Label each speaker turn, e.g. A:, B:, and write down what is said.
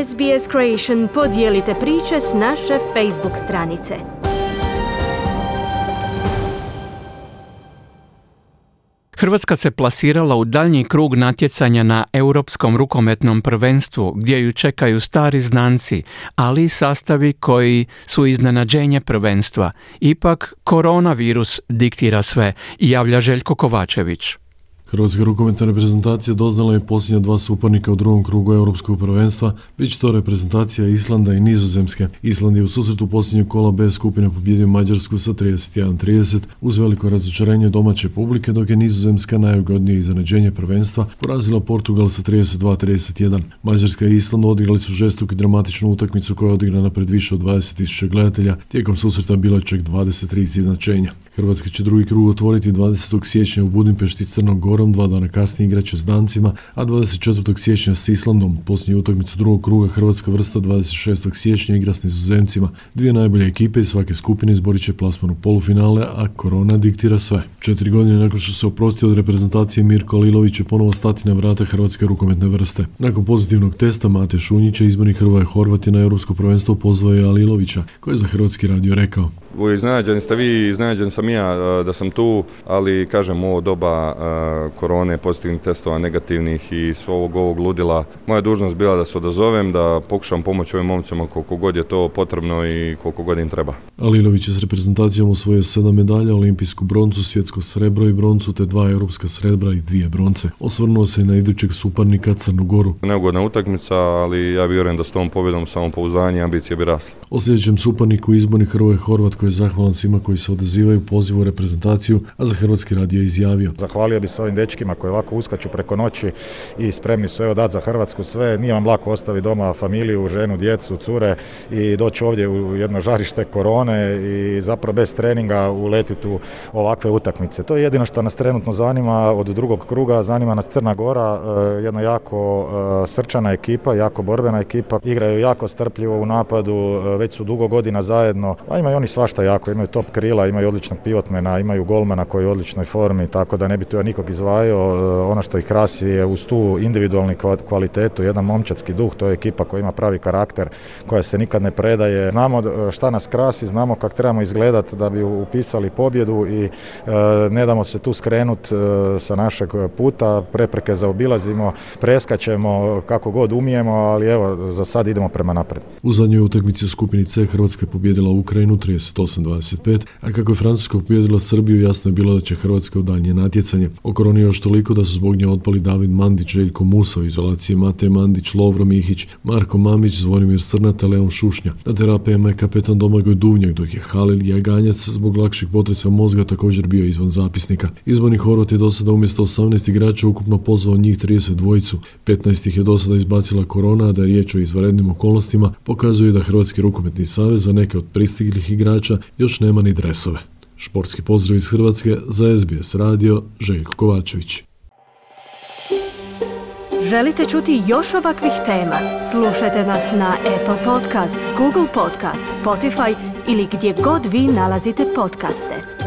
A: SBS Creation podijelite priče s naše Facebook stranice.
B: Hrvatska se plasirala u daljnji krug natjecanja na Europskom rukometnom prvenstvu, gdje ju čekaju stari znanci, ali i sastavi koji su iznenađenje prvenstva. Ipak, koronavirus diktira sve, javlja Željko Kovačević.
C: Hrvatska rukometna reprezentacija doznala je posljednja 2 suparnika u drugom krugu Europskog prvenstva, već to reprezentacija Islanda i Nizozemske. Island je u susretu posljednjeg kola B skupine pobjedio Mađarsku sa 31-30 uz veliko razočarenje domaće publike, dok je Nizozemska najugodnije iznenađenje prvenstva porazila Portugal sa 32-31. Mađarska i Island odigrali su žestoku i dramatičnu utakmicu koja je odigrana pred više od 20.000 gledatelja. Tijekom susreta bilo je čak 23 izjednačenja. Hrvatska će drugi krug otvoriti 20. siječnja u Budimpešti s Crnom Gorom, 2 dana kasnije igraće s Dancima, a 24. siječnja s Islandom. Posljednju utakmicu drugog kruga Hrvatska vrsta 26. siječnja igra s Nizozemcima. 2 najbolje ekipe iz svake skupine izborit će plasman u polufinale, a korona diktira sve. 4 godine nakon što se oprostio od reprezentacije, Mirko Alilović će ponovo stati na vrata hrvatske rukometne vrste. Nakon pozitivnog testa Mate Šunjića, izbornik Hrvoje Horvat je na Europsko prvenstvo pozvao je Alilovića, koji je za Hrvatski radio rekao:
D: Iznenađeni ste vi, iznenađen sam ja da sam tu, ali kažem, ovo doba korone, pozitivnih testova, negativnih i svog ovog ludila, moja dužnost bila da se odazovem, da pokušam pomoći ovim momcima koliko god je to potrebno i koliko god im treba.
C: Alilović je s reprezentacijom osvojio 7 medalja, olimpijsku broncu, svjetsko srebro i broncu, te 2 europska srebra i 2 bronce. Osvrnuo se i na idućeg suparnika Crnu Goru.
D: Neugodna utakmica, ali ja vjerujem da s tom pobjedom samopouzdanje i ambicije bi rasle.
C: O sljedećem suparniku izbornik Hrvoje Horvat, koji je zahvalan svima koji se odazivaju pozivu u reprezentaciju, a za Hrvatski radio je izjavio:
E: Zahvalio bi se ovim dečkima koji ovako uskaču preko noći i spremni su dati za Hrvatsku sve. Nije vam lako ostaviti doma familiju, ženu, djecu, cure i doći ovdje u jedno žarište korone i zapravo bez treninga uletiti u ovakve utakmice. To je jedino što nas trenutno zanima od drugog kruga. Zanima nas Crna Gora, jedna jako srčana ekipa, jako borbena ekipa. Igraju jako strpljivo u napadu, već su dugo godina zajedno, a imaju oni svašta jako. Imaju top krila, imaju odličnog pivotmena, imaju golmana koji je u odličnoj formi, tako da ne bi tu ja nikog izdvajao. Ono što ih krasi je uz tu individualnu kvalitetu, jedan momčadski duh, to je ekipa koja ima pravi karakter, koja se nikad ne predaje. Znamo šta nas krasi, znamo kako trebamo izgledati da bi upisali pobjedu i ne damo se tu skrenuti sa našeg puta, prepreke zaobilazimo, preskačemo kako god umijemo, ali evo, za sad idemo prema naprijed.
C: U zadnjoj utakmici u skupini C Hrvatska je pobijedila Ukrajinu 38-25, a kako je Francuska pobijedila Srbiju, jasno je bilo da će Hrvatska u daljnje natjecanje. O koroni još toliko da su zbog nje otpali David Mandić, Željko Musa u izolaciji, Matej Mandić, Lovro Mihić, Marko Mamić, Zvonimir Srnata, Leon Šušnja. Na terapijama je kapetan Domagoj Duvnjak, dok je Halil Jaganjac zbog lakšeg potresa mozga također bio izvan zapisnika. Izbornik Horvat je do sada umjesto 18 igrača ukupno pozvao njih 32. 15 ih je do sada izbacila korona, a da je riječ o izvanrednim okolnostima pokazuje da Hrvatski rukometni savez za neke od pristiglih igrača još nema ni dresove. Športski pozdrav iz Hrvatske za SBS radio, Željko Kovačević.
A: Želite čuti još ovakvih tema? Slušajte nas na Apple Podcast, Google Podcast, Spotify ili gdje god vi nalazite podcaste.